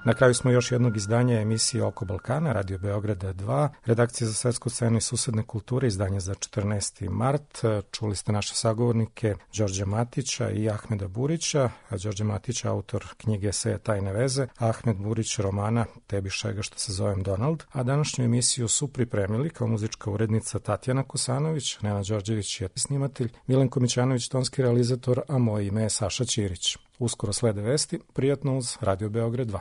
Na kraju smo još jednog izdanja emisije Oko Balkana, Radio Beograda dva, redakcija za svetsku scenu i susedne kulture, izdanje za četrnaesti mart. Čuli ste naše sagovornike Đorđa Matića i Ahmeda Burića. Đorđe Matić, autor knjige eseja Tajne veze, Ahmed Burić romana Tebi šega što se zovem Donald. A današnju emisiju su pripremili kao muzička urednica Tatjana Kosanović, Nena Đorđević je snimatelj, Milenko Mićanović tonski realizator, a moje ime je Saša Ćirić. Uskoro slede vesti, prijatno uz Radio Beograd dva.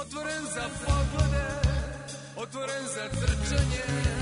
Otvoren za poglede, otvoren za trčanje.